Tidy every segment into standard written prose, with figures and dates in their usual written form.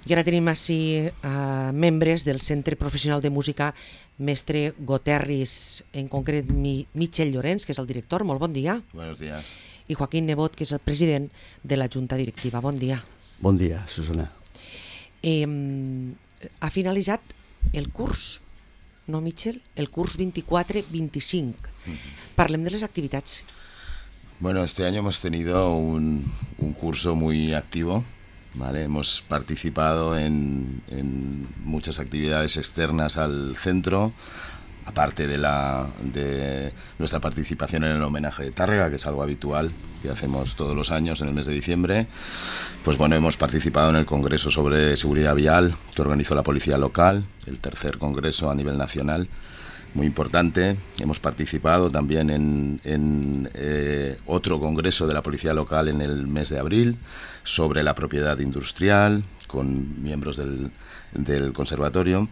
I ara tenim així membres del Centre Professional de Música Mestre Goterris, en concret Michel Llorens, que és el director. Molt bon dia. Buenos días. I Joaquín Nebot, que és el president de la Junta Directiva. Bon dia. Bon dia, Susana. Ha finalitzat el curs, no, Michel? El curs 24-25. Parlem de les activitats. Bueno, este año hemos tenido un curso muy activo, ¿vale? Hemos participado en muchas actividades externas al centro, aparte de nuestra participación en el homenaje de Tárrega, que es algo habitual que hacemos todos los años en el mes de diciembre. Pues bueno, hemos participado en el Congreso sobre Seguridad Vial que organizó la Policía Local, el tercer congreso a nivel nacional, muy importante. Hemos participado también en otro congreso de la Policía Local en el mes de abril sobre la propiedad industrial con miembros del conservatorio.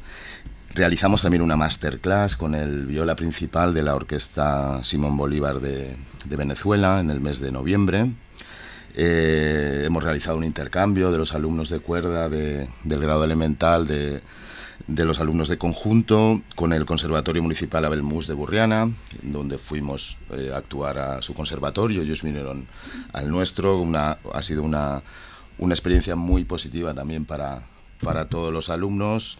Realizamos también una masterclass con el viola principal de la Orquesta Simón Bolívar de Venezuela en el mes de noviembre. Hemos realizado un intercambio de los alumnos de cuerda del grado elemental de los alumnos de conjunto con el Conservatorio Municipal Abel Mus de Burriana, donde fuimos a actuar a su conservatorio. Ellos vinieron al nuestro. Ha sido una experiencia muy positiva también para todos los alumnos.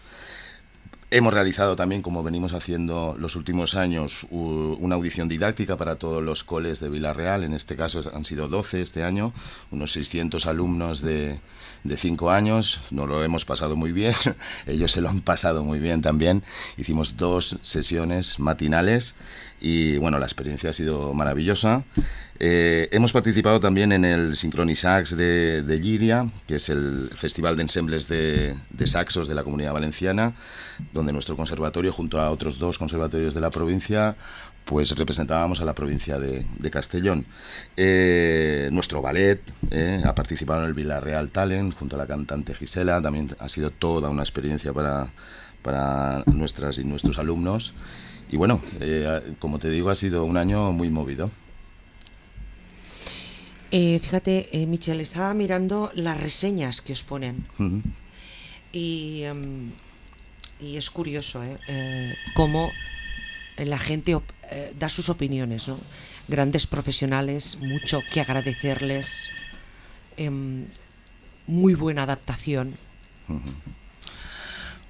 Hemos realizado también, como venimos haciendo los últimos años, una audición didáctica para todos los coles de Vila-real. En este caso han sido 12 este año, unos 600 alumnos de 5 años. Nos lo hemos pasado muy bien, ellos se lo han pasado muy bien también. Hicimos 2 sesiones matinales y bueno, la experiencia ha sido maravillosa. Hemos participado también en el Sincronisax de Llíria, que es el festival de ensembles de saxos de la Comunidad Valenciana, donde nuestro conservatorio, junto a otros 2 conservatorios de la provincia, pues representábamos a la provincia de Castellón. Nuestro ballet ha participado en el Vila-real Talent junto a la cantante Gisela. También ha sido toda una experiencia para nuestras y nuestros alumnos. Y bueno, como te digo, ha sido un año muy movido. Fíjate, Michel, estaba mirando las reseñas que os ponen. Uh-huh. Y es curioso cómo la gente da sus opiniones, ¿no? Grandes profesionales, mucho que agradecerles, muy buena adaptación. Uh-huh.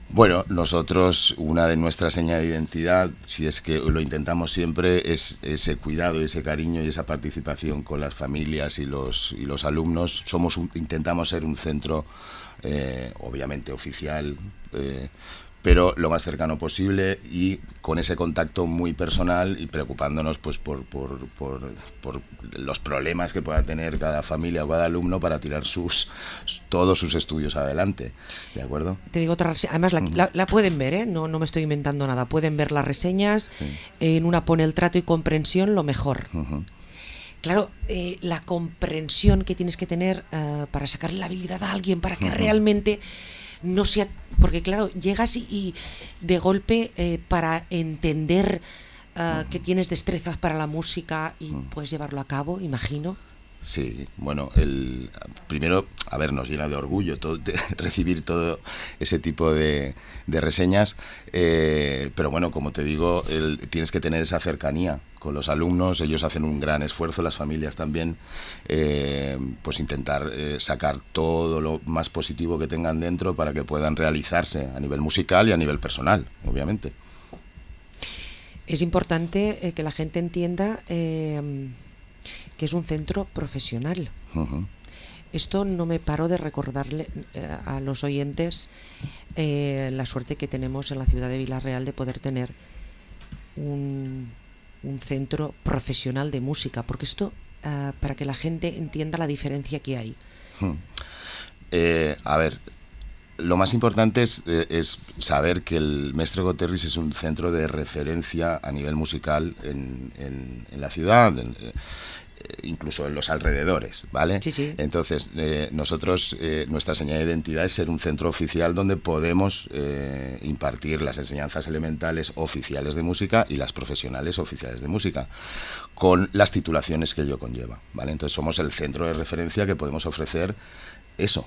Bueno, nosotros, una de nuestras señas de identidad, si es que lo intentamos siempre, es ese cuidado, ese cariño y esa participación con las familias y los alumnos. Intentamos ser un centro, obviamente oficial, pero lo más cercano posible y con ese contacto muy personal y preocupándonos pues por los problemas que pueda tener cada familia o cada alumno para tirar todos sus estudios adelante, ¿de acuerdo? Te digo otra reseña, además la pueden ver, no me estoy inventando nada, pueden ver las reseñas, sí. En una pone el trato y comprensión lo mejor. Uh-huh. Claro, la comprensión que tienes que tener para sacarle la habilidad a alguien, para que realmente no sea, porque claro, llegas y de golpe para entender que tienes destrezas para la música y puedes llevarlo a cabo, imagino. Sí, bueno, primero, a ver, nos llena de orgullo recibir todo ese tipo de reseñas, pero bueno, como te digo, tienes que tener esa cercanía con los alumnos. Ellos hacen un gran esfuerzo, las familias también, pues intentar sacar todo lo más positivo que tengan dentro para que puedan realizarse a nivel musical y a nivel personal, obviamente. Es importante que la gente entienda que es un centro profesional. Uh-huh. Esto no me paro de recordarle a los oyentes la suerte que tenemos en la ciudad de Vila-real de poder tener un centro profesional de música, porque esto, para que la gente entienda la diferencia que hay. A ver, lo más importante es saber que el Mestre Goterris es un centro de referencia a nivel musical en la ciudad, incluso en los alrededores, ¿vale? Sí, sí. Entonces, nosotros, nuestra señal de identidad es ser un centro oficial donde podemos impartir las enseñanzas elementales oficiales de música y las profesionales oficiales de música, con las titulaciones que ello conlleva, ¿vale? Entonces, somos el centro de referencia que podemos ofrecer eso,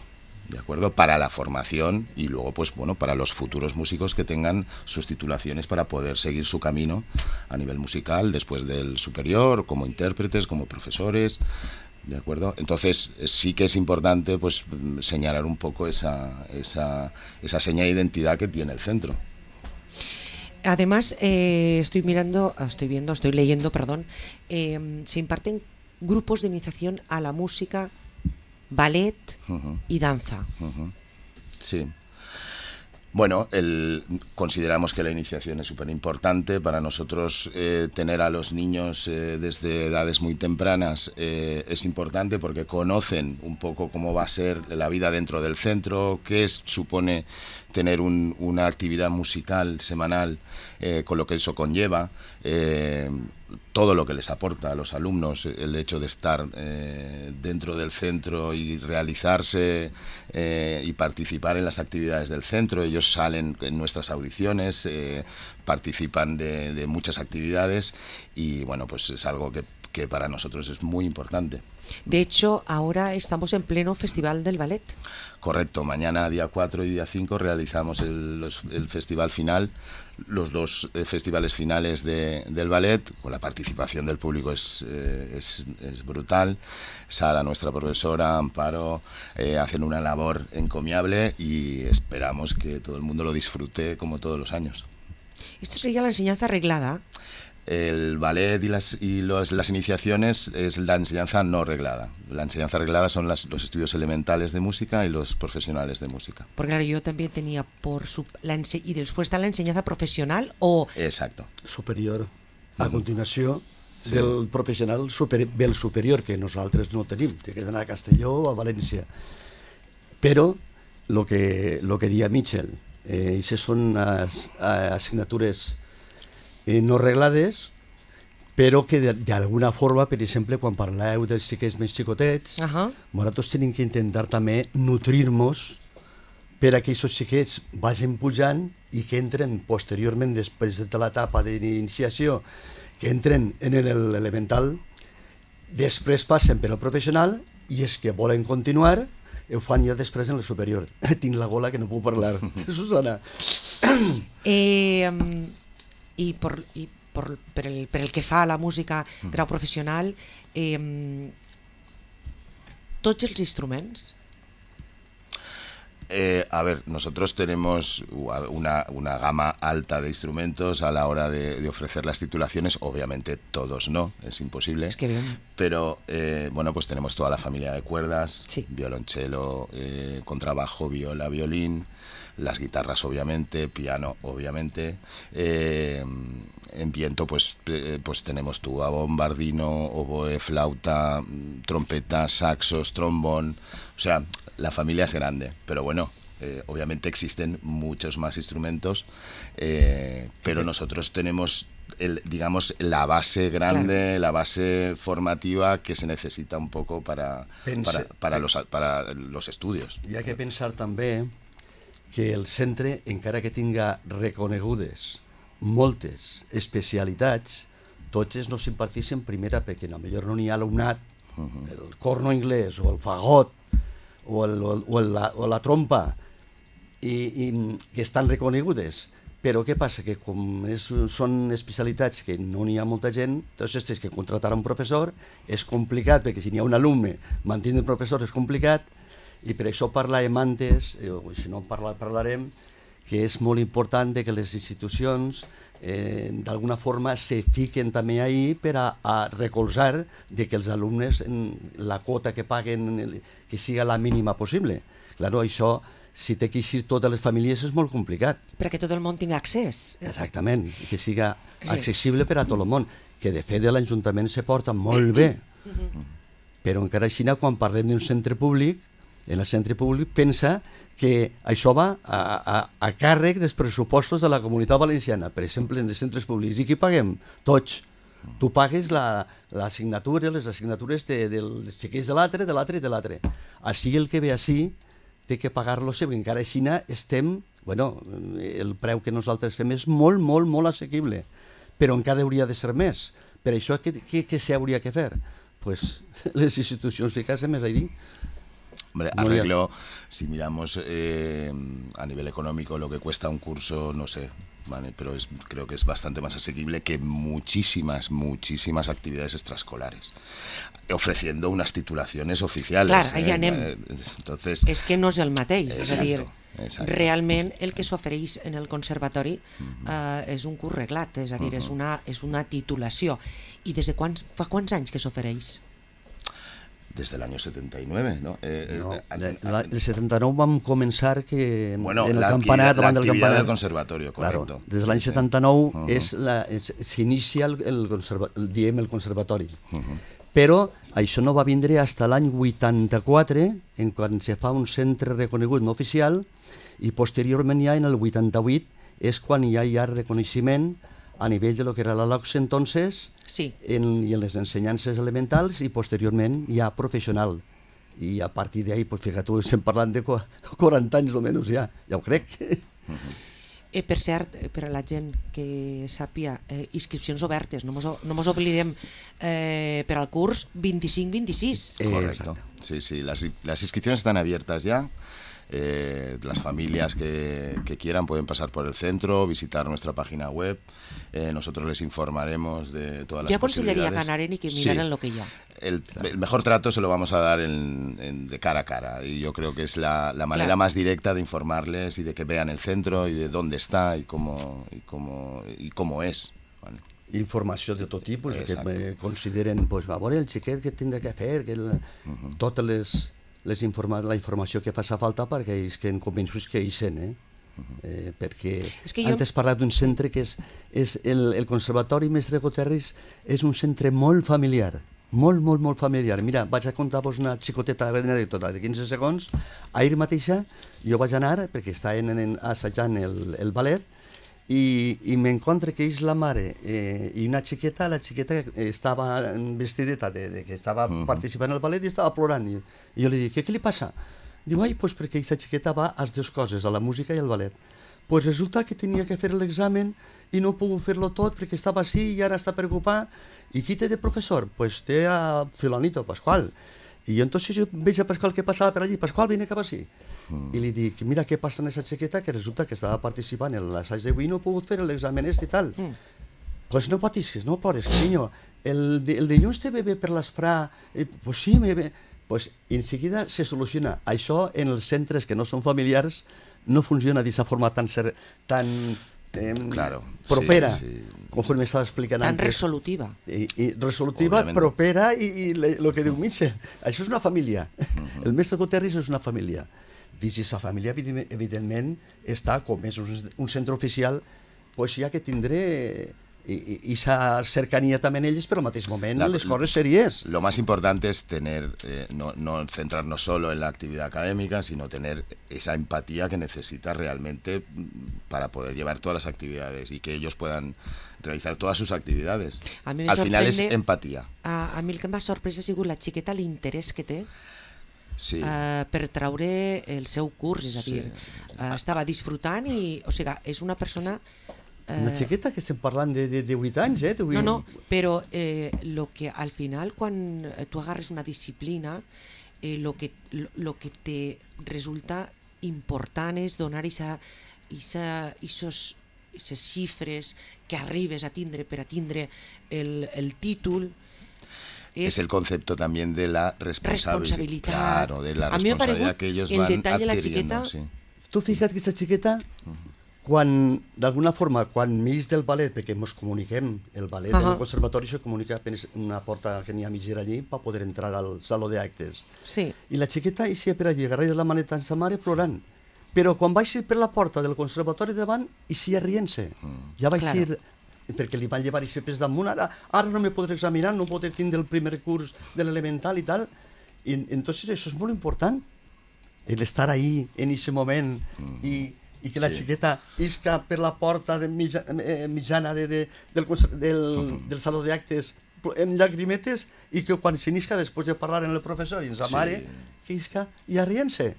¿de acuerdo? Para la formación y luego, pues bueno, para los futuros músicos que tengan sus titulaciones para poder seguir su camino a nivel musical después del superior, como intérpretes, como profesores, ¿de acuerdo? Entonces sí que es importante pues señalar un poco esa seña de identidad que tiene el centro. Además, estoy leyendo, se imparten grupos de iniciación a la música, ballet y danza. Sí. Bueno, consideramos que la iniciación es súper importante. Para nosotros tener a los niños desde edades muy tempranas es importante porque conocen un poco cómo va a ser la vida dentro del centro, qué supone tener una actividad musical semanal, con lo que eso conlleva, todo lo que les aporta a los alumnos el hecho de estar dentro del centro y realizarse y participar en las actividades del centro. Ellos salen en nuestras audiciones, participan de muchas actividades y bueno, pues es algo que para nosotros es muy importante. De hecho, ahora estamos en pleno Festival del Ballet. Correcto, mañana día 4 y día 5 realizamos el festival final, los dos festivales finales del ballet, con la participación del público es brutal. Sara, nuestra profesora, Amparo, hacen una labor encomiable y esperamos que todo el mundo lo disfrute como todos los años. ¿Esto sería la enseñanza reglada? El ballet y las iniciaciones es la enseñanza no reglada. La enseñanza reglada son los estudios elementales de música y los profesionales de música. Porque claro, yo también tenía y después está la enseñanza profesional o... Exacto. Superior. A continuació, sí. Del professional del superior, que nosaltres no tenim. Té que anar a Castelló o a València. Però el que dia Mitchell, aquestes són assignatures no reglades, però que d'alguna forma, per exemple, quan parleu dels xiquets més xicotets, nosaltres tenim que intentar també nutrir-nos per a que aquests xiquets vagin pujant i que entren posteriorment, després de l'etapa d'iniciació, que entren en l'elemental, després passen per al professional i els que volen continuar ho fan ja després en el superior. Tinc la gola que no puc parlar. Susana. Per el que fa a la música grau professional, tots els instruments? A ver, nosotros tenemos una gama alta de instrumentos a la hora de ofrecer las titulaciones. Obviamente todos no, es imposible. Es que bien. Pero bueno, pues tenemos toda la familia de cuerdas, sí. Violonchelo, contrabajo, viola, violín, las guitarras obviamente, piano obviamente. En viento pues tenemos tuba, bombardino, oboe, flauta, trompeta, saxos, trombón. O sea, la familia es grande, pero bueno, obviamente existen muchos más instrumentos, pero nosotros tenemos digamos la base grande, claro. La base formativa que se necesita un poco para los estudios. Hi ha que pensar també que el centre, encara que tinga reconegudes moltes especialitats, totes no s'imparteixen primera perquè potser no n'hi ha alumnat, el corno anglès o el fagot o la trompa i que estan reconegudes. Però què passa? Que com són especialitats que no n'hi ha molta gent, doncs tens que contratar un professor, és complicat, perquè si n'hi ha un alumne, mantenir un professor és complicat, i per això parlàvem antes, o si no parlarem, que és molt important que les institucions d'alguna forma se fiquen també ahí per a recolzar que els alumnes la quota que paguen que siga la mínima possible. Claro, això, si té que eixir totes les famílies, és molt complicat. Perquè tot el món tingui accés. Exactament, que siga accessible per a tot el món, que de fet l'Ajuntament se porta molt bé, però encara així, quan parlem d'un centre públic, en el centre públic pensa que això va a càrrec dels pressupostos de la Comunitat Valenciana, per exemple, en els centres públics. I qui paguem? Tots. Tu pagues l'assignatura, les assignatures dels xiquets de l'altre, de l'altre i de l'altre. Així el que ve així té que pagar-lo sempre. Encara així estem, el preu que nosaltres fem és molt, molt, molt assequible, però encara hauria de ser més. Per això, què s'hauria de fer? Pues les institucions ficar-se més allà. Hombre, No arreglo, si miramos a nivel económico lo que cuesta un curso, no sé, ¿vale? Pero creo que es bastante más asequible que muchísimas actividades extraescolares, ofreciendo unas titulaciones oficiales. Clar, allà anem. Entonces, És que no és el mateix, és a dir, exacte. realment el que s'ofereix en el conservatori és un curs reglat, és a dir, és una titulació. I des de fa quants anys que s'ofereix? Desde el año 79, ¿no? No, el 79 vam començar que bueno, en el la campanar, actividad, davant del campanar del conservatorio, correcto. Claro, des de l'any 79 s'inicia el conservatori. Però això no va vindre fins l'any 84, en quan se fa un centre reconegut no oficial, i posteriorment ja en el 88 és quan ja hi ha reconeixement a nivell de lo que era la LOCSE entonces, Sí. i en les ensenyances elementals, i posteriorment ja professional. I a partir d'ahí, pues, fíjate, estem parlant de 40 anys almenys ja ho crec. Per cert, per a la gent que sàpia, inscripcions obertes, no mos oblidem, per al curs 25-26. Correcto. Sí, las inscripciones están abiertas ya. Las familias que quieran pueden pasar por el centro, visitar nuestra página web. Nosotros les informaremos de todas las posibilidades. Yo aconsejaría ganar y que miraran lo que ya. El mejor trato se lo vamos a dar de cara a cara, y yo creo que es la manera más directa de informarles y de que vean el centro y de dónde está y cómo es. ¿Vale? Informació de tot tipus, que consideren, pues, va veure el xiquet que tindrà que fer, que totes la informació que faci falta perquè ells que convenços que hi sent, perquè antes parlat d'un centre que és el Conservatori Mestre Goterris, és un centre molt familiar, molt familiar. Mira, vaig a contar-vos una xicoteta anècdota de 15 segons. Ahir mateixa jo vaig anar, perquè estaven assajant el ballet, i m'encontre que és la mare i una xiqueta, la xiqueta estava vestideta que estava participant al ballet i estava plorant, i jo li dic, què li passa? Diu, pues perquè aquesta xiqueta va a les dues coses, a la música i al ballet. Pues resulta que tenia que fer l'examen i no puc fer-lo tot perquè estava així i ara està preocupat. I qui té de professor? Pues té a Filanito, Pascual. I entonces jo veig a Pascual que passava per allí, Pascual, vine cap així. I li dic, mira què passa en aquesta xiqueta, que resulta que estava participant en l'assaig d'avui i no ha pogut fer l'examen i tal. Pues no patisques, no plores, cariño. El dilluns te ve bé per l'esprà. Pues sí, me ve. Pues en seguida se soluciona. Això en els centres que no són familiars no funciona d'aquesta forma tan claro, propera, sí. conforme estava explicant tan antes. Resolutiva. I resolutiva, obviamente. Propera, i el que diu Mitchell, això és una família. El Mestre Goterris és una família. Dins aquesta família, evidentment, està, com és un centre oficial, pues ja que tindré esa cercanía también ellos, pero al mismo momento les coses serias. Lo más importante es tener, no centrarnos solo en la actividad académica, sino tener esa empatía que necesita realmente para poder llevar todas las actividades y que ellos puedan realizar todas sus actividades. Al final es empatía. A mi el que m'ha sorprès ha sigut la xiqueta, l'interès que té per traure el seu curs, és a dir, estava disfrutant i, o sigui, és una persona... Una xiqueta que estem parlant de 8 anys, No, però lo que al final, quan tu agarres una disciplina, lo que te resulta important és donar aquestes xifres que arribes a tindre per a tindre el títol. Es el concepto también de la responsabilidad. Claro, de la responsabilidad que ellos van adquiriendo. Tu fíjate que aquesta xiqueta... Quan, d'alguna forma, quan m'eix del ballet, perquè ens comuniquem, el ballet del conservatori se comunica apenas una porta que n'hi ha mitgera allí per poder entrar al saló d'actes. Sí. I la xiqueta eixia per allí, agarrava la maneta amb sa mare plorant. Però quan va eixir per la porta del conservatori davant, eixia rient-se. Ja va eixir, perquè li van llevar eixir pes damunt, ara no me podré examinar, no podré tindre el primer curs de l'elemental i tal. I entonces això és molt important, l'estar ahí en aquest moment i que la xiqueta isca per la porta mitjana del saló d'actes en llagrimetes i que quan s'inisca després de parlar amb el professor i amb sa mare, que isca i a rient-se.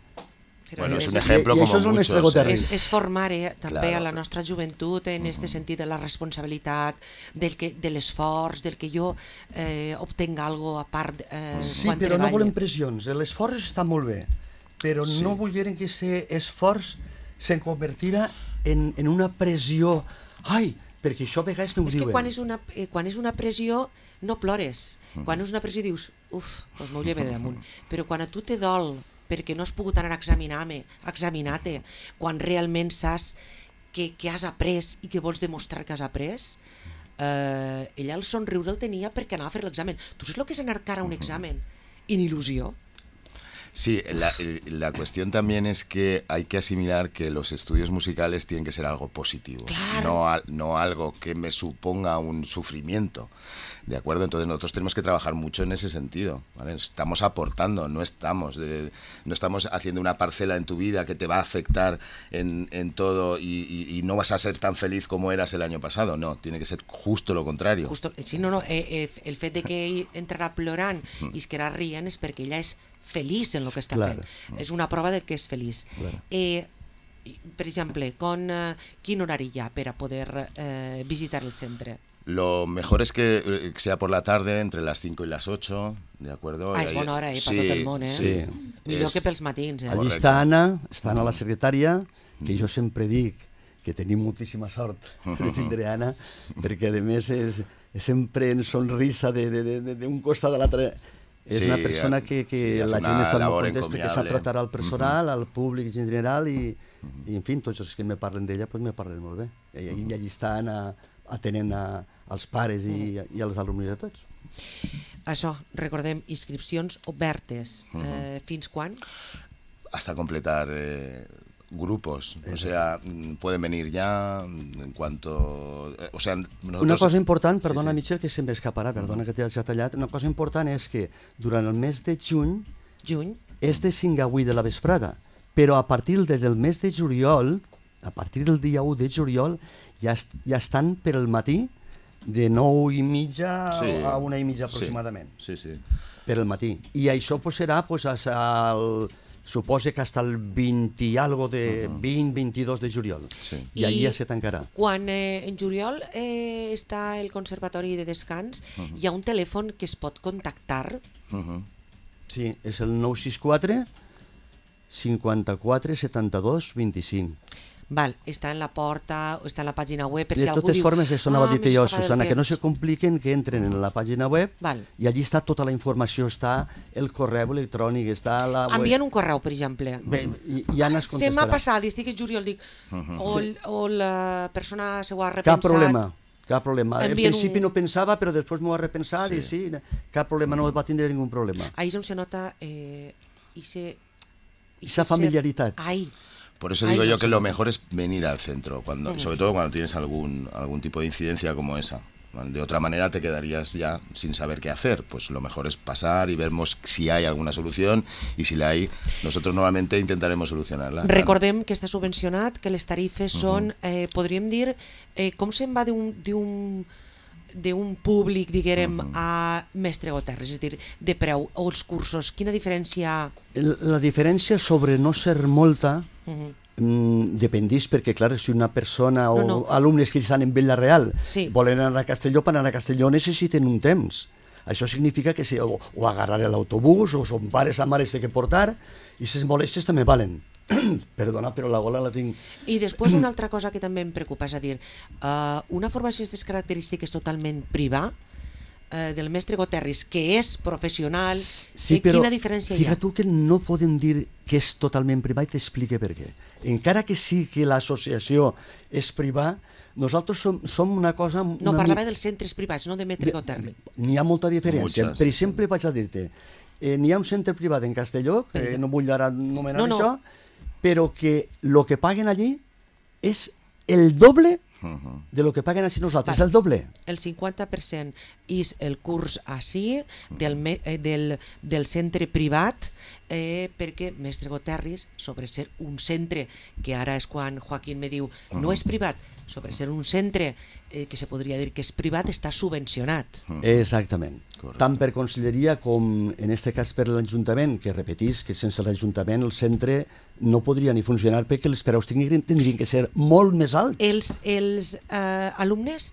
Bueno, és un exemple com muchos. És formar també a la nostra joventut en aquest sentit de la responsabilitat, de l'esforç, del que jo obtenga algo a part sí, però no volem pressions. L'esforç està molt bé, però no volgueren que aquest esforç se'n convertirà en una pressió. Ai, perquè això a vegades no ho diuen. És que quan és una pressió no plores. Quan és una pressió dius, doncs m'ho lleve damunt. Però quan a tu te dol perquè no has pogut anar a examinar-te, quan realment saps que has après i que vols demostrar que has après, ella el somriure el tenia perquè anava a fer l'examen. Tu saps el que és anar cara a un examen? En il·lusió. Sí, la cuestión también es que hay que asimilar que los estudios musicales tienen que ser algo positivo, claro. no algo que me suponga un sufrimiento, ¿de acuerdo? Entonces nosotros tenemos que trabajar mucho en ese sentido, ¿vale? Estamos aportando, no estamos haciendo una parcela en tu vida que te va a afectar en todo y no vas a ser tan feliz como eras el año pasado, no, tiene que ser justo lo contrario. Sí, el fet de que ell entrarà plorant i es quedarà rient és perquè ella és feliç en el que està fent. És una prova de que és feliç. Per exemple, quin horari hi ha per a poder visitar el centre? Lo mejor es que sea por la tarde, entre las 5 y las 8, ¿de acuerdo? És bona hora, per tot el món, Sí. Millor que pels matins. Allí està Anna, la secretària, que jo sempre dic que tenim moltíssima sort de tindre Anna, perquè a més és sempre en sonrisa d'un costat a l'altre. És una persona que la gent està molt contenta perquè sap tratar al personal, al públic en general i en fi, tots els que me parlen d'ella me parlen molt bé. I allí estan atenent als pares i als alumnes de tots. Això, recordem, inscripcions obertes. Fins quan? Hasta completar grupos, o sea, pueden venir ya en cuanto... O sea, nosotros... Una cosa important, perdona Michel, que se'm escaparà, perdona que t'he tallat, una cosa important és que durant el mes de juny és de 5 a 8 de la vesprada, però a partir del mes de juliol, a partir del dia 1 de juliol, ja estan per al matí de 9:30 a 1:30 aproximadament. Sí. Per al matí. I això serà suposa que hasta el 20 i algo de 20-22 de juliol. I allí ja se tancarà. Quan en juliol està el Conservatori de Descans, hi ha un telèfon que es pot contactar. Sí, és el 964 54 72 25. Val, està en la porta, està en la pàgina web, per de si algú totes diu... formes, això anava a dir jo, Susana, que no se compliquen, que entren en la pàgina web i allí està tota la informació, està el correu electrònic, està la web... Envien un correu, per exemple. Bé, ja no es contestarà. Se m'ha passat, estic en juliol, dic, o la persona s'ho ha repensat... Cap problema. En principi no pensava, però després m'ho ha repensat i sí, cap problema, no va tindre ningú problema. Ahí és on se nota esa familiaritat. Por eso digo yo que lo mejor es venir al centro, sobre todo cuando tienes algún tipo de incidencia como esa. De otra manera te quedarías ya sin saber qué hacer. Pues lo mejor es pasar y vemos si hay alguna solución y si la hay, nosotros normalmente intentaremos solucionarla. Recordem que està subvencionat, que les tarifes són, podríem dir, com se'n va d'un públic, diguem, a Mestre Goterres, és a dir, de preu, o els cursos, quina diferència? La diferència, sobre no ser molta, dependís, perquè clar, si una persona o alumnes que estan en Vila-real volen anar a Castelló, per anar a Castelló necessiten un temps. Això significa que o agarrar l'autobús, o son pares a mares que portar, i les molèsties també valen. Perdona, però la gola la tinc... I després una altra cosa que també em preocupa, és a dir, una formació d'aquestes característiques totalment privada, del mestre Goterres, que és professional, quina diferència hi ha? Fíjate tu que no podem dir que és totalment privat i t'explique per què. Encara que sí que l'associació és privada, nosaltres som una cosa... No, parlava dels centres privats, no de mestre Goterres. N'hi ha molta diferència. Per exemple, vaig a dir-te, n'hi ha un centre privat en Castelló, que no vull ara anomenar això, però que el que paguen allí és el doble de lo que paguen així nosaltres, el doble. El 50% és el curs així del centre privat, perquè Mestre Goterres, sobre ser un centre, que ara és quan Joaquín me diu no és privat, sobre ser un centre que se podria dir que és privat, està subvencionat. Exactament. Tant per Conselleria com, en aquest cas, per l'Ajuntament, que repetís que sense l'Ajuntament el centre no podria ni funcionar perquè els preus tindrien que ser molt més alts. Els alumnes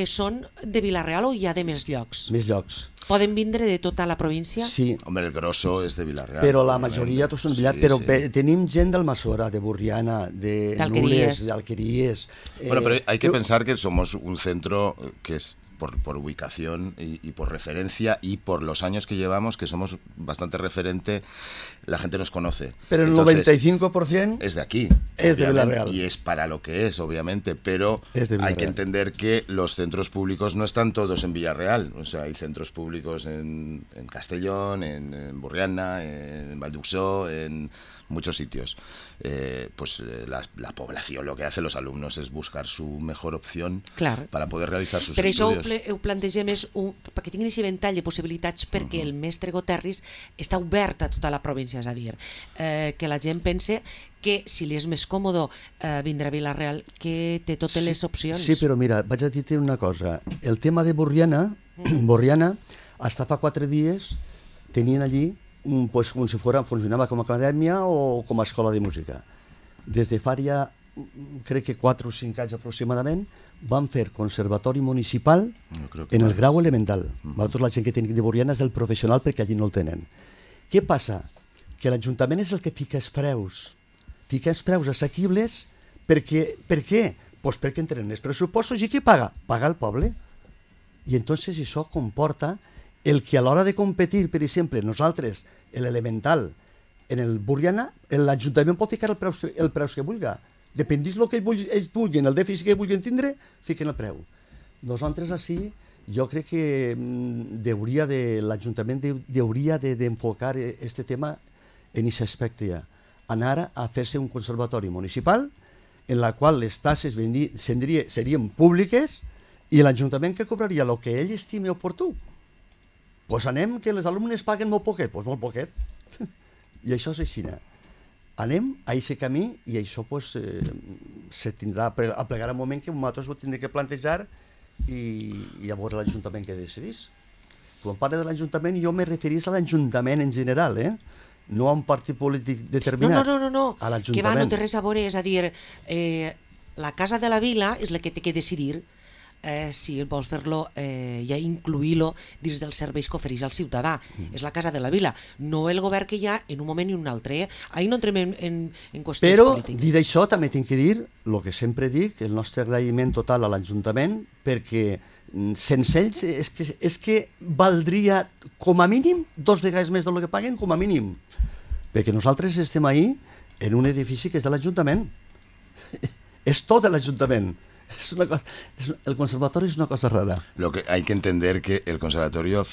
són de Vila-real o hi ha de més llocs? Més llocs. Poden vindre de tota la província? Sí. Hombre, el grosso és de Vila-real. Però la majoria tots són de Vila-real. Sí, Però tenim gent d'Almassora, de Burriana, de Nules, de Alqueries. Bueno, pero hay que pensar que somos un centro que es por ubicación y por referencia y por los años que llevamos, que somos bastante referente, la gente nos conoce. Pero el 95% es de aquí. Es de Vila-real. Y es para lo que es, obviamente, pero hay que entender que los centros públicos no están todos en Villarreal. O sea, hay centros públicos en Castellón, en Burriana, en Valduxó, en muchos sitios. La población, lo que hace los alumnos es buscar su mejor opción para poder realizar sus estudios. Ho plantegem perquè tinguin aquest ventall de possibilitats perquè el mestre Goterris està obert a tota la província, és a dir, que la gent pense que si li és més còmode vindre a Vila-real, que té totes les opcions. Sí, però mira, vaig a dir-te una cosa. El tema de Borriana, hasta fa 4 dies tenien allí pues, com si funcionava com a acadèmia o com a escola de música. Des de fa ja, crec que 4 o 5 anys aproximadament, van fer conservatori municipal en el grau elemental. Tota la gent que tenim de Borriana és el professional perquè allí no el tenen. Què passa? Que l'Ajuntament és el que fica els preus. Fica els preus assequibles perquè... Per què? Pues perquè entren els pressupostos i qui paga? Paga el poble. I entonces això comporta el que a l'hora de competir, per exemple, nosaltres, l'elemental, en el Borriana, l'Ajuntament pot ficar el preu que vulgui. Dependís del que ells vulguin, el dèficit que vulguin tindre, fiquen el preu. Nosaltres així, jo crec que l'Ajuntament hauria d'enfocar aquest tema en aquest aspecte ja. Anar a fer-se un conservatori municipal en la qual les tasses serien públiques i l'Ajuntament que cobraria el que ell estimi oportú. Doncs anem que les alumnes paguen molt poquet, doncs molt poquet. I això és així. Anem a aquest camí i això se tindrà a plegar un moment que nosaltres ho tindrem que plantejar i a veure l'Ajuntament que decidís. Quan parlo de l'Ajuntament jo me referís a l'Ajuntament en general, no a un partit polític determinat. No, a l'Ajuntament. Que va, no té res a veure, és a dir, la Casa de la Vila és la que té que decidir si vols fer-lo, ja incluir-lo dins dels serveis que ofereix al ciutadà. És la Casa de la Vila, no el govern que hi ha en un moment i un altre. Ahir no entrem en qüestions polítiques. Però, dit això, també tinc que dir el que sempre dic, el nostre agraïment total a l'Ajuntament, perquè sense ells és que valdria com a mínim 2 vegades més del que paguen, com a mínim. Perquè nosaltres estem ahí en un edifici que és de l'Ajuntament. És tot de l'Ajuntament. El conservatorio es una cosa rara. Lo que hay que entender que el conservatorio al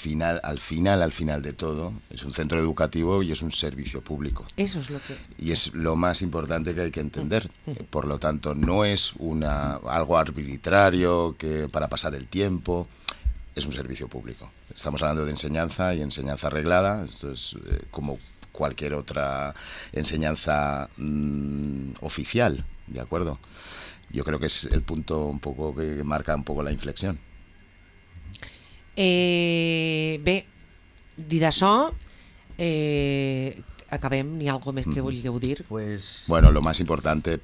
final de todo, es un centro educativo y es un servicio público. Eso es lo que... Y es lo más importante que hay que entender. Por lo tanto, no es algo arbitrario que para pasar el tiempo, es un servicio público. Estamos hablando de enseñanza y enseñanza reglada. Esto es como cualquier otra enseñanza oficial, ¿de acuerdo? Yo creo que es el punto un poco que marca un poco la inflexión. Bé, dit això, acabem. ¿Ni algo més que vulgueu dir? Bueno, lo más importante,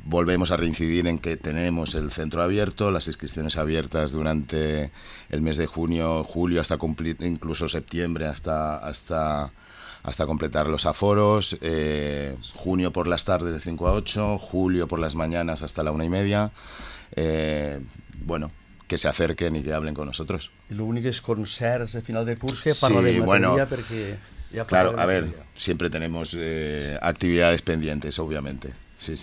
volvemos a reincidir en que tenemos el centro abierto, las inscripciones abiertas durante el mes de junio, julio, hasta incluso septiembre, hasta completar los aforos, junio por las tardes de 5 a 8, julio por las mañanas hasta la 1:30. Bueno, que se acerquen y que hablen con nosotros. Y lo único es concerts de final de curs que parla de materia porque... Claro, a ver, siempre tenemos actividades pendientes, obviamente. Sí.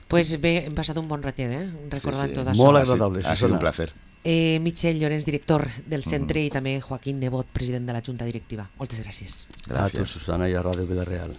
Pues bé, hem passat un bon ratet, recordant tot això. Molt agradable. Ha sido un placer. Michel Llorens, director del centre, i també Joaquín Nebot, president de la Junta Directiva. Moltes gràcies. Gràcies, Susana, i a Ràdio Vila-real.